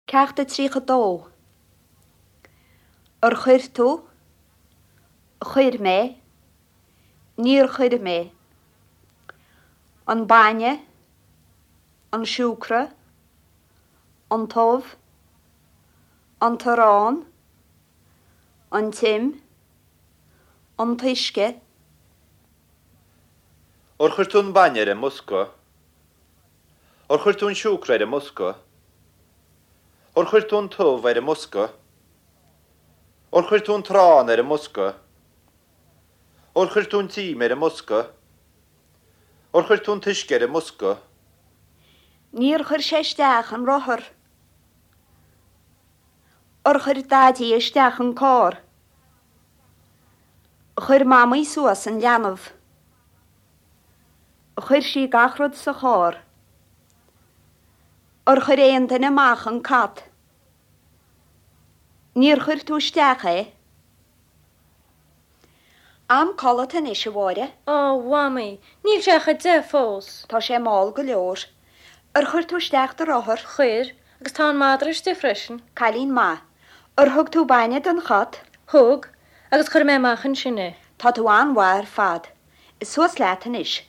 Ceacht a 32. Ar chuir tú? Chuir mé. Níor chuir mé. An bainne. An siúcra. An t-ubh. An t-arán. An t-im. An t-uisce. Ar chuir tú an bainne ar an mbosca? Ar chuir tú an siúcra ar an mbosca? Ar chuir tú an t-ubh ar an mbosca? Ar chuir tú an t-arán ar an mbosca? Ar chuir tú an t-im ar an mbosca? Ar chuir tú an t-uisce ar an mbosca? Níor chuir sé isteach an rothar. Ar chuir Daidí isteach an carr? Chuir Mamaí suas an leanbh. Chuir sí gach rud sa charr. Ar chuir aon duine amach an cat? Níor chuir tú isteach é? Am codlata anois, a Mháire. Á, a Mhamaí, níl sé ach 10 fós. Tá sé mall go leor. Ar chuir tú isteach do rothar? Chuir, agus tá an madra istigh freisin. Cailín maith. Ar thug tú bainne don chat? Thug, agus chuir mé amach ansin é. Tá tú an-mhaith ar fad. Suas leat anois.